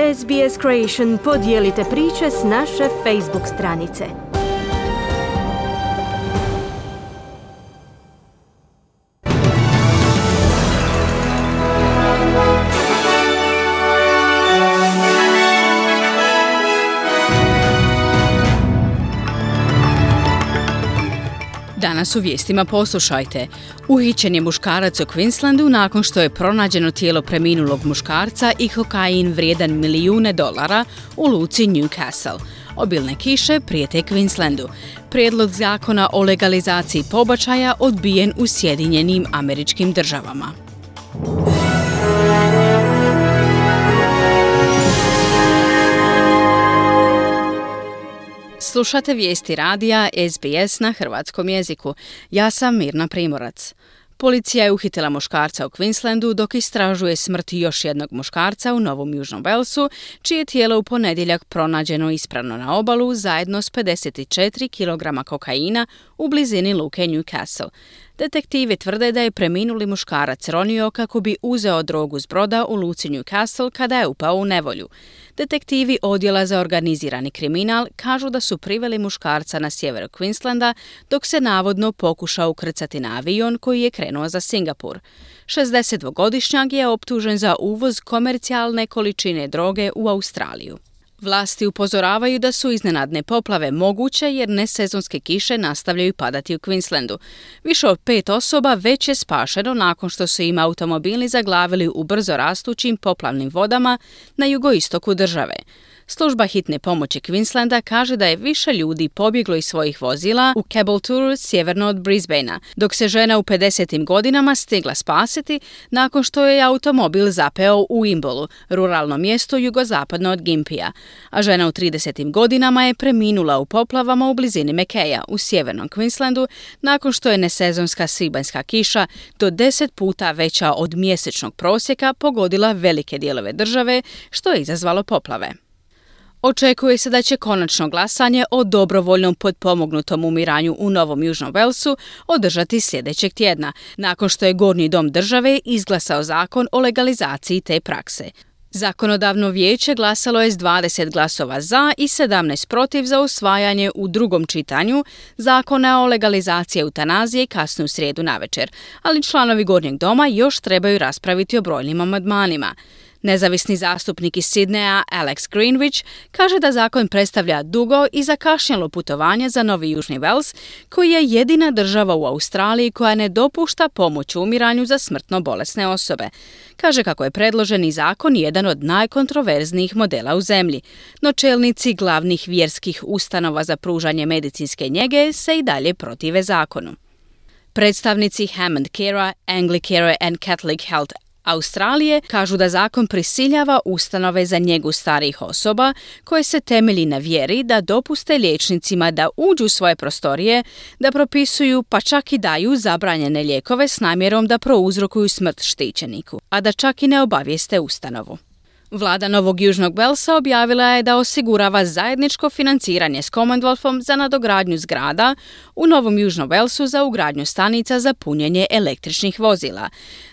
SBS Creation podijelite priče s naše Facebook stranice. Danas u vijestima poslušajte. Uhićen je muškarac u Queenslandu nakon što je pronađeno tijelo preminulog muškarca i kokain vrijedan $1.000.000 u luci Newcastle. Obilne kiše prijete Queenslandu. Prijedlog zakona o legalizaciji pobačaja odbijen u Sjedinjenim Američkim Državama. Slušate vijesti radija SBS na hrvatskom jeziku. Ja sam Mirna Primorac. Policija je uhitila muškarca u Queenslandu dok istražuje smrt još jednog muškarca u Novom Južnom Walesu, čije tijelo u ponedjeljak pronađeno ispravno na obalu zajedno s 54 kg kokaina u blizini luke Newcastle. Detektivi tvrde da je preminuli muškarac ronio kako bi uzeo drogu s broda u luci Newcastle kada je upao u nevolju. Detektivi Odjela za organizirani kriminal kažu da su priveli muškarca na sjeveru Queenslanda dok se navodno pokušao ukrcati na avion koji je krenuo za Singapur. 62-godišnjak je optužen za uvoz komercijalne količine droge u Australiju. Vlasti upozoravaju da su iznenadne poplave moguće jer nesezonske kiše nastavljaju padati u Queenslandu. Više od 5 osoba već je spašeno nakon što su im automobili zaglavili u brzo rastućim poplavnim vodama na jugoistoku države. Služba hitne pomoći Queenslanda kaže da je više ljudi pobjeglo iz svojih vozila u Caboolture sjeverno od Brisbanea, dok se žena u 50. godinama stigla spasiti nakon što je automobil zapeo u Imbolu, ruralnom mjestu jugozapadno od Gympia, a žena u 30. godinama je preminula u poplavama u blizini Mackaya u sjevernom Queenslandu nakon što je nesezonska svibanjska kiša do 10 puta veća od mjesečnog prosjeka pogodila velike dijelove države, što je izazvalo poplave. Očekuje se da će konačno glasanje o dobrovoljnom potpomognutom umiranju u Novom Južnom Walesu održati sljedećeg tjedna, nakon što je Gornji dom države izglasao zakon o legalizaciji te prakse. Zakonodavno vijeće glasalo je s 20 glasova za i 17 protiv za usvajanje u drugom čitanju zakona o legalizaciji eutanazije kasnu srijedu navečer, ali članovi Gornjeg doma još trebaju raspraviti o brojnim amandmanima. Nezavisni zastupnik iz Sidneja Alex Greenwich kaže da zakon predstavlja dugo i zakašnjelo putovanje za Novi Južni Wales, koji je jedina država u Australiji koja ne dopušta pomoć u umiranju za smrtno bolesne osobe. Kaže kako je predloženi zakon jedan od najkontroverznijih modela u zemlji, no čelnici glavnih vjerskih ustanova za pružanje medicinske njege se i dalje protive zakonu. Predstavnici Hammond Care, Anglicare and Catholic Health Australije kažu da zakon prisiljava ustanove za njegu starijih osoba koje se temelji na vjeri da dopuste liječnicima da uđu u svoje prostorije, da propisuju pa čak i daju zabranjene lijekove s namjerom da prouzrokuju smrt štićeniku, a da čak i ne obavijeste ustanovu. Vlada Novog Južnog Walesa objavila je da osigurava zajedničko financiranje s Commonwealthom za nadogradnju zgrada u Novom Južnom Walesu za ugradnju stanica za punjenje električnih vozila.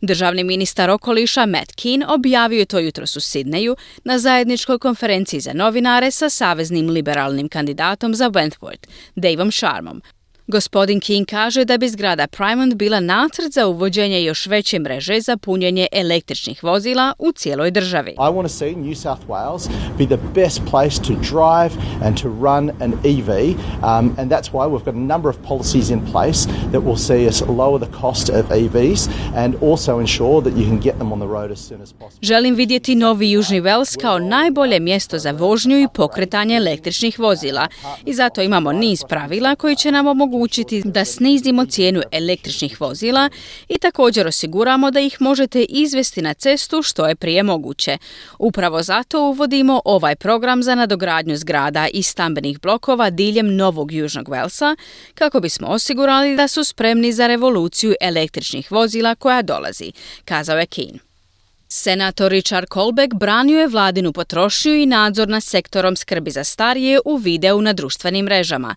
Državni ministar okoliša Matt Keane objavio je to jutros u Sidneju na zajedničkoj konferenciji za novinare sa saveznim liberalnim kandidatom za Wentworth, Davom Sharmom. Gospodin King kaže da bi zgrada Primont bila nacrt za uvođenje još veće mreže za punjenje električnih vozila u cijeloj državi. I want to see New South Wales be the best place to drive and to run an EV, and that's why we've got a number of policies in place that will see us lower the cost of EVs and also ensure that you can get them on the road as soon as possible. Želim vidjeti Novi Južni Wales kao najbolje mjesto za vožnju i pokretanje električnih vozila i zato imamo niz pravila koji će nam omogućiti da snizimo cijenu električnih vozila i također osiguramo da ih možete izvesti na cestu što je prije moguće. Upravo zato uvodimo ovaj program za nadogradnju zgrada i stambenih blokova diljem Novog Južnog Walesa kako bismo osigurali da su spremni za revoluciju električnih vozila koja dolazi, kazao je Keane. Senator Richard Colbeck branio je vladinu potrošnju i nadzor nad sektorom skrbi za starije u videu na društvenim mrežama.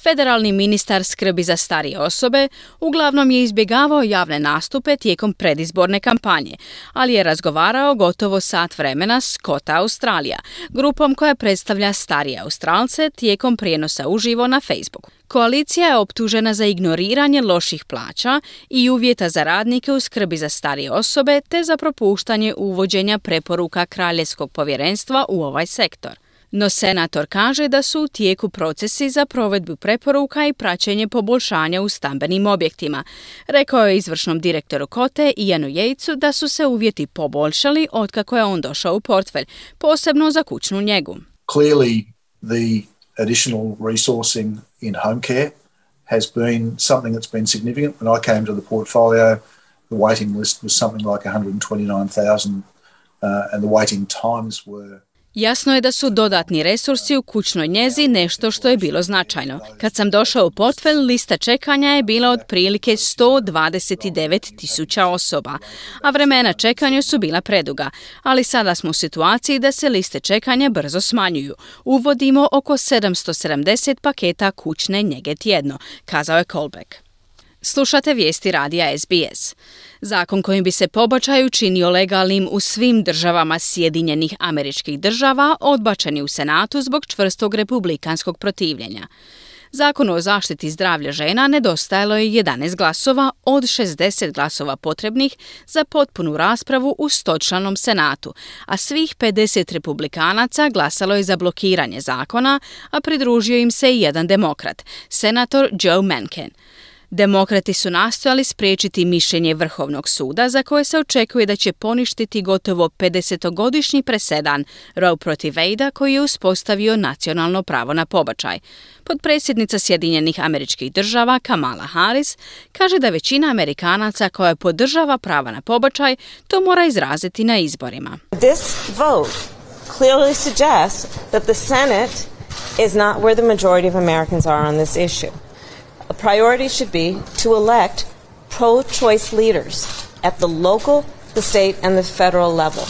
Federalni ministar skrbi za starije osobe uglavnom je izbjegavao javne nastupe tijekom predizborne kampanje, ali je razgovarao gotovo sat vremena s Kota Australija, grupom koja predstavlja starije Australce tijekom prijenosa uživo na Facebooku. Koalicija je optužena za ignoriranje loših plaća i uvjeta za radnike u skrbi za starije osobe te za propuštanje uvođenja preporuka Kraljevskog povjerenstva u ovaj sektor. No senator kaže da su u tijeku procesi za provedbu preporuka i praćenje poboljšanja u stambenim objektima. Rekao je izvršnom direktoru Kote Ianu Yatesu da su se uvjeti poboljšali otkako je on došao u portfelj, posebno za kućnu njegu. Clearly, the additional resourcing in home care has been something that's been significant. When I came to the portfolio, the waiting list was something like 129,000 and the waiting times were... Jasno je da su dodatni resursi u kućnoj njezi nešto što je bilo značajno. Kad sam došao u portfelj, lista čekanja je bila otprilike 129,000 osoba, a vremena čekanja su bila preduga, ali sada smo u situaciji da se liste čekanja brzo smanjuju. Uvodimo oko 770 paketa kućne njege tjedno, kazao je Colbeck. Slušate vijesti radija SBS. Zakon kojim bi se pobačaj učinio legalnim u svim državama Sjedinjenih Američkih Država odbačen je u Senatu zbog čvrstog republikanskog protivljenja. Zakonu o zaštiti zdravlja žena nedostajalo je 11 glasova od 60 glasova potrebnih za potpunu raspravu u 100-članom Senatu, a svih 50 republikanaca glasalo je za blokiranje zakona, a pridružio im se i jedan demokrat, senator Joe Manchin. Demokrati su nastojali spriječiti mišljenje Vrhovnog suda za koje se očekuje da će poništiti gotovo 50-godišnji presedan Roe protiv Wadea koji je uspostavio nacionalno pravo na pobačaj. Potpredsjednica Sjedinjenih Američkih Država Kamala Harris kaže da većina Amerikanaca koja podržava prava na pobačaj to mora izraziti na izborima. This vote clearly suggests that the Senate is not where the majority of Americans are on this issue. A priority should be to elect pro-choice leaders at the local, the state and the federal level.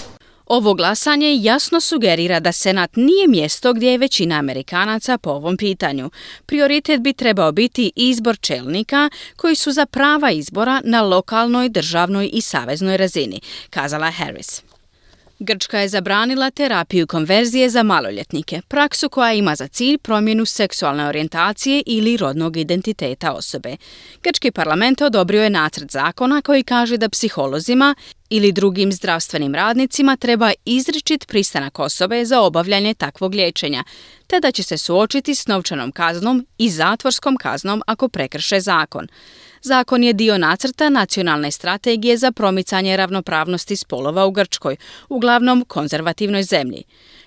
Ovo glasanje jasno sugerira da Senat nije mjesto gdje je većina Amerikanaca po ovom pitanju. Prioritet bi trebao biti izbor čelnika koji su za prava izbora na lokalnoj, državnoj i saveznoj razini, kazala Harris. Grčka je zabranila terapiju konverzije za maloljetnike, praksu koja ima za cilj promjenu seksualne orijentacije ili rodnog identiteta osobe. Grčki parlament odobrio je nacrt zakona koji kaže da psiholozima ili drugim zdravstvenim radnicima treba izričit pristanak osobe za obavljanje takvog liječenja, te da će se suočiti s novčanom kaznom i zatvorskom kaznom ako prekrše zakon. Zakon je dio nacrta nacionalne strategije za promicanje ravnopravnosti spolova u Grčkoj, uglavnom konzervativnoj zemlji.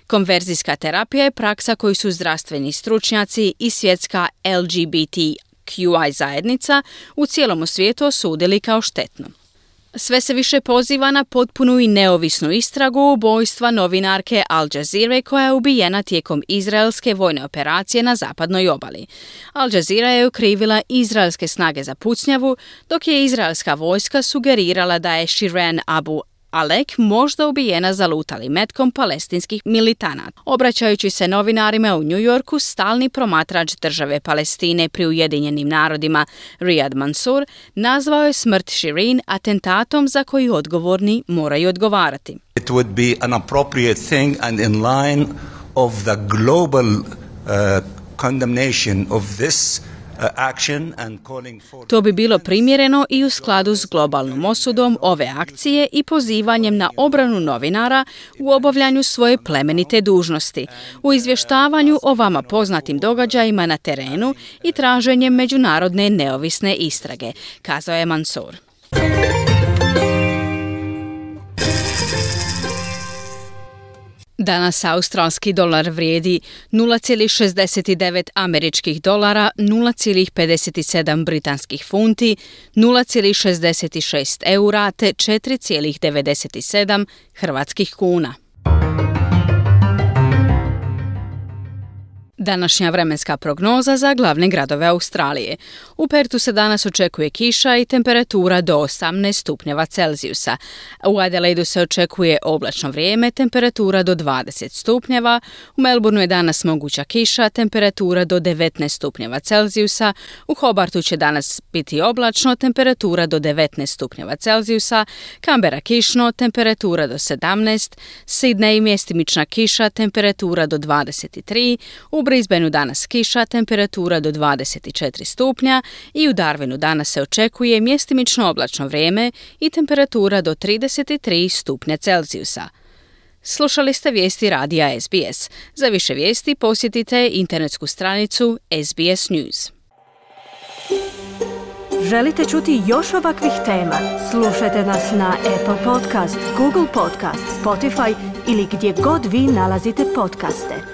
Konverzijska terapija je praksa koju su zdravstveni stručnjaci i svjetska LGBTQI zajednica u cijelom svijetu osudili kao štetnu. Sve se više poziva na potpunu i neovisnu istragu ubojstva novinarke Al Jazeere koja je ubijena tijekom izraelske vojne operacije na zapadnoj obali. Al Jazeera je okrivila izraelske snage za pucnjavu, dok je izraelska vojska sugerirala da je Shirin Abu Alek možda ubijena zalutalim metkom palestinskih militanata. Obraćajući se novinarima u New Yorku, stalni promatrač države Palestine pri Ujedinjenim narodima Riyad Mansour nazvao je smrt Shirin atentatom za koji odgovorni moraju odgovarati. It would be an appropriate thing and in line of the global condemnation of this To bi bilo primjereno i u skladu s globalnom osudom ove akcije i pozivanjem na obranu novinara u obavljanju svoje plemenite dužnosti, u izvještavanju o vama poznatim događajima na terenu i traženjem međunarodne neovisne istrage, kazao je Mansour. Danas australski dolar vrijedi 0,69 američkih dolara, 0,57 britanskih funti, 0,66 eura te 4,97 hrvatskih kuna. Današnja vremenska prognoza za glavne gradove Australije. U Pertu se danas očekuje kiša i temperatura do 18 stupnjeva Celzijusa. U Adelaidu se očekuje oblačno vrijeme, temperatura do 20 stupnjeva. U Melbourneu je danas moguća kiša, temperatura do 19 stupnjeva Celzijusa. U Hobartu će danas biti oblačno, temperatura do 19 stupnjeva Celzijusa. Canberra kišno, temperatura do 17. Sydney mjestimična kiša, temperatura do 23. U Brisbaneu danas kiša, temperatura do 24 stupnja i u Darwinu danas se očekuje mjestimično oblačno vrijeme i temperatura do 33 stupnja Celzijusa. Slušali ste vijesti radija SBS. Za više vijesti posjetite internetsku stranicu SBS News. Želite čuti još ovakvih tema? Slušajte nas na Apple Podcast, Google Podcast, Spotify ili gdje god vi nalazite podcaste.